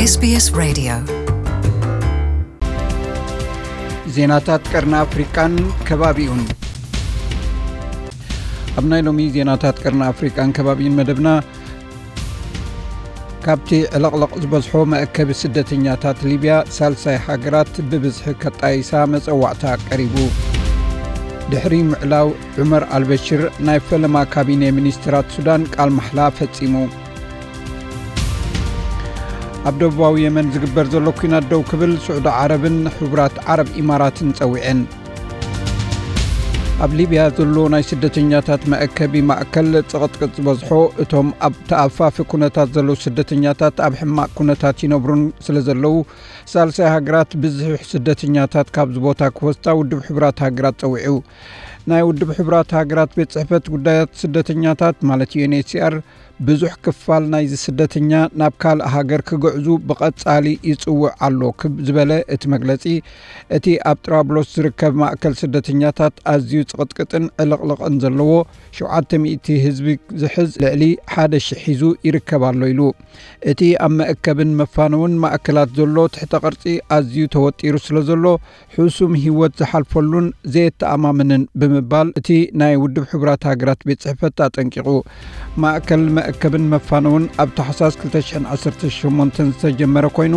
SBS Radio. ዜናታት ቀርኒ ኣፍሪቃን ከባቢኡን። ኣብ ናይ ሎሚ ዜናታት ቀርኒ ኣፍሪቃን ከባቢኡን መደብና፣ ካብቲ ዕልቕልቕ ዝበዝሖ መእከቢ ስደተኛታት ሊብያ፣ ሳልሳይ ሃገራት ብብዝሒ ከጣይሳ መጸዋዕታ ቀሪቡ። ድሕሪ ምዕላው ዑመር ኣልበሽር፣ ናይ ፈለማ ካቢነ ሚኒስትራት ሱዳን ቃል ማሕላ ፈጺሙ። ኣብ ደቡባዊ የመን ዝግበር ዘሎ ኲናት ደው ክብል ስዑዲ ዓረብን ሕቡራት ዓረብ ኢማራትን ጸዊዐን። ኣብ ሊብያ ዘሎ ናይ ስደተኛታት መእከቢ ማእከል ጽቕጥቅጥ ዝበዝሖ፣ እቶም ኣብ ተኣፋፊ ኩነታት ዘለዉ ስደተኛታት ኣብ ሕማቕ ኩነታት ይነብሩን ስለ ዘለዉ፣ ሳልሳይ ሃገራት ብዝሒ ስደተኛታት ካብዚ ቦታ ክወስዳ ውድብ ሕቡራት ሃገራት ጸዊዑ። ናይ ውድብ ሕቡራት ሃገራት ቤት ጽሕፈት ጉዳያት ስደተኛታት፣ ማለት ዩ ኤን ኤች ሲ ኣር፣ ብዙሕ ክፋል ናይዚ ስደተኛ ናብ ካልእ ሃገር ክግዕዙ ብቐጻሊ ይጽውዕ ኣሎ ክብ ዝበለ እቲ መግለጺ፣ እቲ ኣብ ጥራብሎስ ዝርከብ ማእከል ስደተኛታት ኣዝዩ ጽቕጥቅጥን ዕልቕልቕን ዘለዎ፣ ሸውዓተ ሚእቲ ህዝቢ ዝሕዝ ልዕሊ ሓደ ሽሕ ሒዙ ይርከብ ኣሎ ኢሉ። እቲ ኣብ መእከብን መፋነውን ማእከላት ዘሎ ትሕተ ቅርጺ ኣዝዩ ተወጢሩ ስለ ዘሎ፣ ሕሱም ህይወት ዝሓልፈሉን ዘየተኣማምንን ብምባል እቲ ናይ ውድብ ሕቡራት ሃገራት ቤት ጽሕፈት ኣጠንቂቑ። ማእከል መእከብን መፋነውን ኣብ ታሕሳስ ክልተ ሽሕን ዓሰርተ ሸሞንተን ዝተጀመረ ኮይኑ፣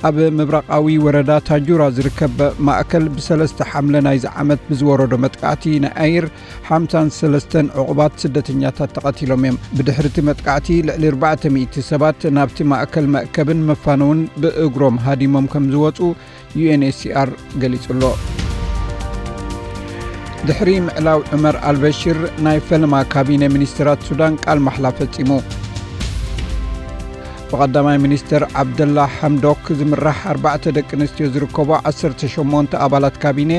ኣብ ምብራቓዊ ወረዳ ታጁራ ዝርከብ ማእከል ብሰለስተ ሓምለ ናይዚ ዓመት ብዝወረዶ መጥቃዕቲ ናይ ኣየር ሓምሳን ሰለስተን ዕቑባት ስደተኛታት ተቐቲሎም እዮም። ብድሕሪ እቲ መጥቃዕቲ ልዕሊ ኣርባዕተ ሚእቲ ሰባት ናብቲ ማእከል መእከብን መፋነውን ብእግሮም ሃዲሞም ከም ዝወጹ ዩ ኤን ኤች ሲ ኣር ገሊጹ ኣሎ። ድሕሪ ምዕላው ዑመር ኣልበሽር፣ ናይ ፈለማ ካቢነ ሚኒስትራት ሱዳን ቃል ማሕላ ፈጺሙ። ብቐዳማይ ሚኒስትር ዓብደላ ሓምዶክ ዝምራሕ ኣርባዕተ ደቂ ኣንስትዮ ዝርከቦ ዓሰርተ ሸሞንተ ኣባላት ካቢነ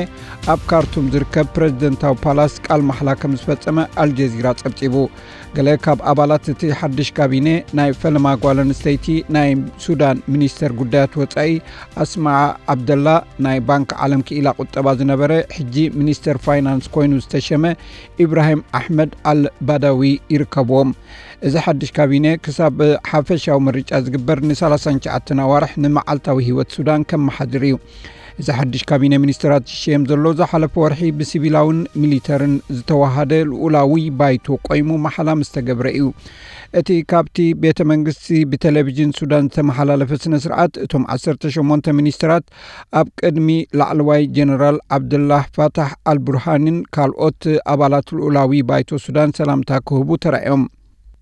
ኣብ ካርቱም ዝርከብ ፕረዚደንታዊ ፓላስ ቃል ማሕላ ከም ዝፈጸመ ኣልጀዚራ ጸብጺቡ። ገለ ካብ ኣባላት እቲ ሓድሽ ካቢነ፣ ናይ ፈለማ ጓል ኣንስተይቲ ናይ ሱዳን ሚኒስተር ጉዳያት ወጻኢ ኣስማዓ ዓብደላ፣ ናይ ባንክ ዓለም ክኢላ ቁጠባ ዝነበረ፣ ሕጂ ሚኒስተር ፋይናንስ ኮይኑ ዝተሸመ ኢብራሂም ኣሕመድ ኣል ባዳዊ ይርከብዎም። እዚ ሓድሽ ካቢነ ክሳብ ሓፈሻዊ ምርጫ ዝግበር ንሰላሳን ትሽዓተን ኣዋርሕ ንመዓልታዊ ህይወት ሱዳን ከመሓድር እዩ። እዚ ሓድሽ ካቢነ ሚኒስትራት ዝሽየም ዘሎ ዝሓለፈ ወርሒ ብሲቪላውን ሚሊተርን ዝተዋሃደ ልኡላዊ ባይቶ ቆይሙ ማሕላ ምስ ተገብረ እዩ። እቲ ካብቲ ቤተ መንግስቲ ብቴሌቪዥን ሱዳን ዝተመሓላለፈ ስነ ስርዓት፣ እቶም ዓሰርተ ሸሞንተ ሚኒስትራት ኣብ ቅድሚ ላዕለዋይ ጀነራል ዓብዱላህ ፋታሕ ኣልቡርሃንን ካልኦት ኣባላት ልኡላዊ ባይቶ ሱዳን ሰላምታ ክህቡ ተራእዮም።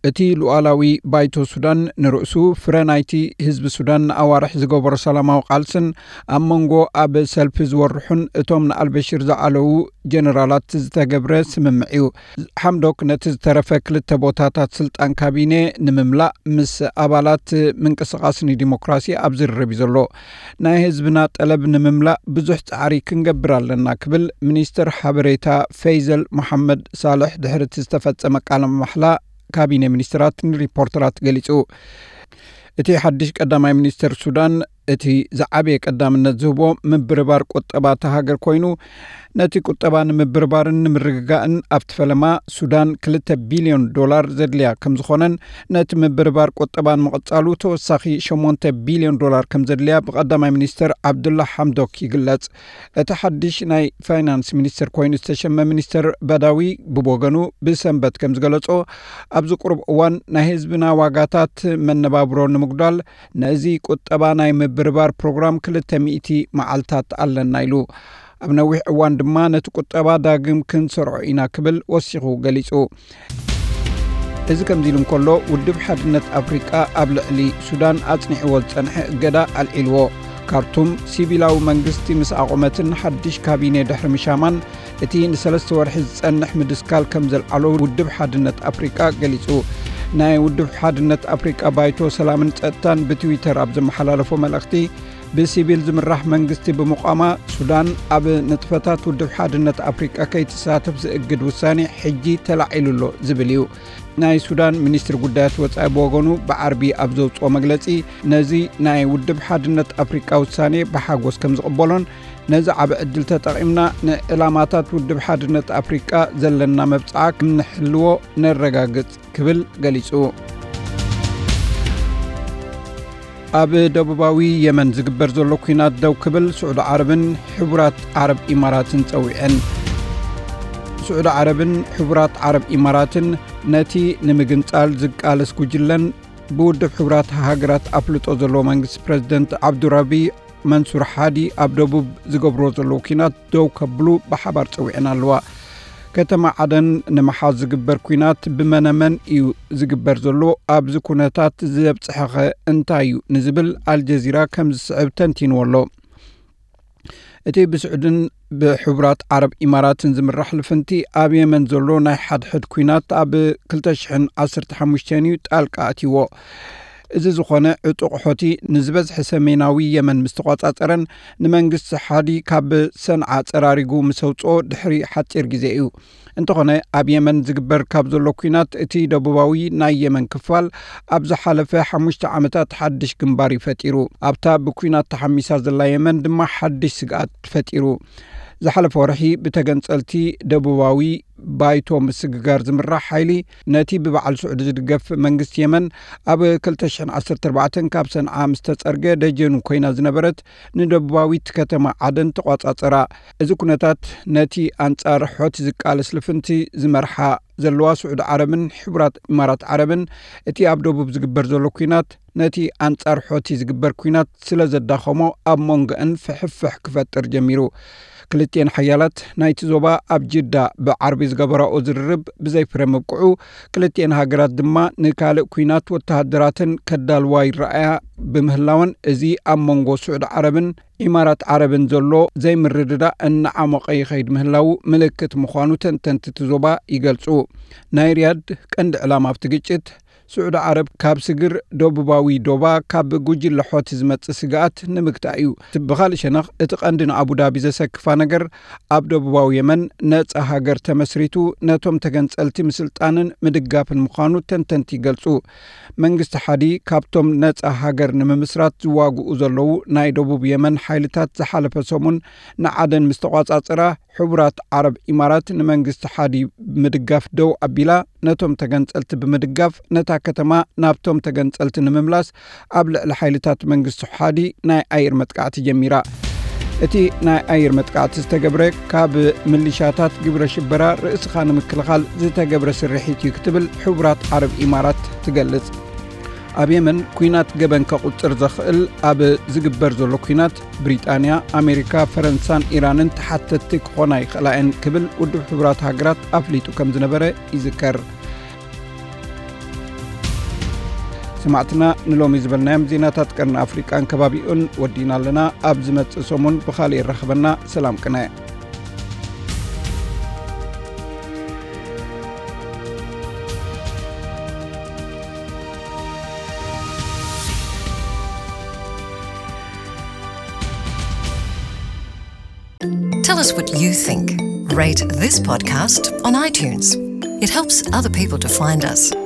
እቲ ሉዓላዊ ባይቶ ሱዳን ንርእሱ ፍረ ናይቲ ህዝቢ ሱዳን ንኣዋርሕ ዝገበሮ ሰላማዊ ቃልስን ኣብ መንጎ ኣብ ሰልፊ ዝወርሑን እቶም ንኣልበሽር ዝዓለዉ ጀነራላት ዝተገብረ ስምምዕ እዩ። ሓምዶክ ነቲ ዝተረፈ ክልተ ቦታታት ስልጣን ካቢነ ንምምላእ ምስ ኣባላት ምንቅስቓስ ንዲሞክራሲ ኣብ ዝርርብ እዩ ዘሎ። ናይ ህዝብና ጠለብ ንምምላእ ብዙሕ ጻዕሪ ክንገብር ኣለና ክብል ሚኒስትር ሓበሬታ ፈይዘል መሓመድ ሳልሕ ድሕሪ እቲ ዝተፈጸመ ቃለ ማሕላ ካቢነ ሚኒስትራት ንሪፖርተራት ገሊጹ። እቲ ሓድሽ ቀዳማይ ሚኒስትር ሱዳን እቲ ዝዓበየ ቀዳምነት ዝህቦ ምብርባር ቁጠባ እታ ሃገር ኮይኑ፣ ነቲ ቁጠባ ንምብርባርን ንምርግጋእን ኣብቲ ፈለማ ሱዳን ክልተ ቢልዮን ዶላር ዘድልያ ከም ዝኾነን፣ ነቲ ምብርባር ቁጠባ ንምቕጻሉ ተወሳኺ ሸሞንተ ቢልዮን ዶላር ከም ዘድልያ ብቀዳማይ ሚኒስትር ዓብዱላ ሓምዶክ ይግለጽ። እቲ ሓድሽ ናይ ፋይናንስ ሚኒስትር ኮይኑ ዝተሸመ ሚኒስትር በዳዊ ብወገኑ ብሰንበት ከም ዝገለጾ፣ ኣብዚ ቁሩብ እዋን ናይ ህዝብና ዋጋታት መነባብሮ ንምጉዳል ነዚ ቁጠባ ናይ ምብርባር ፕሮግራም ክልተ ሚእቲ መዓልታት ኣለና ኢሉ። ኣብ ነዊሕ እዋን ድማ ነቲ ቁጠባ ዳግም ክንሰርዖ ኢና ክብል ወሲኹ ገሊጹ። እዚ ከምዚ ኢሉ እንከሎ፣ ውድብ ሓድነት ኣፍሪቃ ኣብ ልዕሊ ሱዳን ኣጽኒዕዎ ዝጸንሐ እገዳ ኣልዒልዎ። ካርቱም ሲቪላዊ መንግስቲ ምስ ኣቖመትን ሓድሽ ካቢኔ ድሕሪ ምሻማን፣ እቲ ንሰለስተ ወርሒ ዝጸንሕ ምድስካል ከም ዘልዓሎ ውድብ ሓድነት ኣፍሪቃ ገሊጹ። ናይ ውድብ ሓድነት ኣፍሪቃ ባይቶ ሰላምን ጸጥታን ብትዊተር ኣብ ዘመሓላለፎ መልእኽቲ፣ ብሲቪል ዝምራሕ መንግስቲ ብምቋማ፣ ሱዳን ኣብ ንጥፈታት ውድብ ሓድነት ኣፍሪቃ ከይትሳተፍ ዝእግድ ውሳኔ ሕጂ ተላዒሉ ኣሎ ዝብል እዩ። ናይ ሱዳን ሚኒስትሪ ጉዳያት ወጻኢ ብወገኑ ብዓርቢ ኣብ ዘውጽኦ መግለጺ፣ ነዚ ናይ ውድብ ሓድነት ኣፍሪቃ ውሳኔ ብሓጎስ ከም ዝቕበሎን፣ ነዚ ዓቢ ዕድል ተጠቒምና ንዕላማታት ውድብ ሓድነት ኣፍሪቃ ዘለና መብጽዓ ከም ንሕልዎ ነረጋግጽ ክብል ገሊጹ። ኣብ ደቡባዊ የመን ዝግበር ዘሎ ኲናት ደው ክብል ስዑዲ ዓረብን ሕቡራት ዓረብ ኢማራትን ጸዊዐን። ስዑዲ ዓረብን ሕቡራት ዓረብ ኢማራትን ነቲ ንምግንጻል ዝቃለስ ጉጅለን ብውድብ ሕቡራት ሃገራት ኣፍልጦ ዘለዎ መንግስቲ ፕረዚደንት ዓብዱራቢ መንሱር ሓዲ ኣብ ደቡብ ዝገብሮ ዘለዉ ኲናት ደው ከብሉ ብሓባር ጸዊዐን ኣለዋ። ከተማ ዓደን ንምሓዝ ዝግበር ኲናት ብመነመን እዩ ዝግበር ዘሎ? ኣብዚ ኩነታት ዘብጽሐኸ እንታይ እዩ? ንዝብል ኣልጀዚራ ከም ዝስዕብ ተንቲንዎ ኣሎ። እቲ ብስዑድን ብሕቡራት ዓረብ ኢማራትን ዝምራሕ ልፍንቲ ኣብ የመን ዘሎ ናይ ሓድሕድ ኲናት ኣብ ክልተ ሽሕን ዓሰርተ ሓሙሽተን እዩ ጣልቃ ኣትይዎ። እዚ ዝኾነ ዕጡቕ ሖቲ ንዝበዝሐ ሰሜናዊ የመን ምስ ተቋጻጸረን ንመንግስቲ ሓዲ ካብ ሰንዓ ጸራሪጉ ምስ ኣውጽኦ ድሕሪ ሓጺር ግዜ እዩ። እንተኾነ ኣብ የመን ዝግበር ካብ ዘሎ ኲናት እቲ ደቡባዊ ናይ የመን ክፋል ኣብ ዝሓለፈ ሓሙሽተ ዓመታት ሓድሽ ግንባር እዩ ፈጢሩ። ኣብታ ብኲናት ተሓሚሳ ዘላ የመን ድማ ሓድሽ ስግኣት ፈጢሩ። ዝሓለፈ ወርሒ ብተገንጸልቲ ደቡባዊ ባይቶ ምስግጋር ዝምራሕ ሓይሊ ነቲ ብበዓል ስዑዲ ዝድገፍ መንግስቲ የመን ኣብ ክልተ ሽሕን ዓሰርተ ኣርባዕተን ካብ ሰንዓ ምስ ተጸርገ ደጀኑ ኮይና ዝነበረት ንደቡባዊት ከተማ ዓደን ተቋጻጸራ። እዚ ኩነታት ነቲ ኣንጻር ሖቲ ዝቃለስ ልፍንቲ ዝመርሓ ዘለዋ ስዑዲ ዓረብን ሕቡራት ኢማራት ዓረብን እቲ ኣብ ደቡብ ዝግበር ዘሎ ኲናት ነቲ ኣንጻር ሖቲ ዝግበር ኲናት ስለ ዘዳኸሞ ኣብ መንጎአን ፍሕፍሕ ክፈጥር ጀሚሩ። ክልቲኤን ሓያላት ናይቲ ዞባ ኣብ ጅዳ ብዓርቢ ዝገበራኦ ዝርርብ ብዘይፍረ ምብቅዑ ክልቲኤን ሃገራት ድማ ንካልእ ኲናት ወተሃደራተን ከዳልዋ ይረኣያ ብምህላወን እዚ ኣብ መንጎ ስዑዲ ዓረብን ኢማራት ዓረብን ዘሎ ዘይምርድዳእ እናዓሞቐ ይኸይድ ምህላዉ ምልክት ምዃኑ ተንተንቲ እቲ ዞባ ይገልጹ። ናይ ሪያድ ቀንዲ ዕላማ ኣብቲ ግጭት ስዑዲ ዓረብ ካብ ስግር ደቡባዊ ዶባ ካብ ጉጅለ ሖቲ ዝመጽእ ስግኣት ንምግታእ እዩ። ብኻልእ ሸነኽ እቲ ቀንዲ ንኣቡዳቢ ዘሰክፋ ነገር ኣብ ደቡባዊ የመን ነጻ ሃገር ተመስሪቱ ነቶም ተገንጸልቲ ምስልጣንን ምድጋፍን ምዃኑ ተንተንቲ ይገልጹ። መንግስቲ ሓዲ ካብቶም ነጻ ሃገር ንምምስራት ዝዋግኡ ዘለዉ ናይ ደቡብ የመን ሓይልታት ዝሓለፈ ሰሙን ንዓደን ምስ ተቋጻጸራ ሕቡራት ዓረብ ኢማራት ንመንግስቲ ሓዲ ብምድጋፍ ደው ኣቢላ ነቶም ተገንጸልቲ ብምድጋፍ ነታ ከተማ ናብቶም ተገንጸልቲ ንምምላስ ኣብ ልዕሊ ሓይልታት መንግስቲ ሓዲ ናይ ኣየር መጥቃዕቲ ጀሚራ። እቲ ናይ ኣየር መጥቃዕቲ ዝተገብረ ካብ ምልሻታት ግብረ ሽበራ ርእስኻ ንምክልኻል ዝተገብረ ስርሒት እዩ ክትብል ሕቡራት ዓረብ ኢማራት ትገልጽ። ኣብ የመን ኲናት ገበን ከቑጽር ዘኽእል ኣብ ዝግበር ዘሎ ኲናት ብሪጣንያ፣ ኣሜሪካ፣ ፈረንሳን ኢራንን ተሓተትቲ ክኾና ይኽእላ እየን ክብል ውድብ ሕቡራት ሃገራት ኣፍሊጡ ከም ዝነበረ ይዝከር። ሰማዕትና ንሎሚ ዝበልናዮም ዜናታት ቀርኒ ኣፍሪቃን ከባቢኡን ወዲና ኣለና። ኣብ ዝመጽእ ሰሙን ብኻልእ ይራኸበና። ሰላም ቅነ። Tell us what you think. Rate this podcast on iTunes. It helps other people to find us.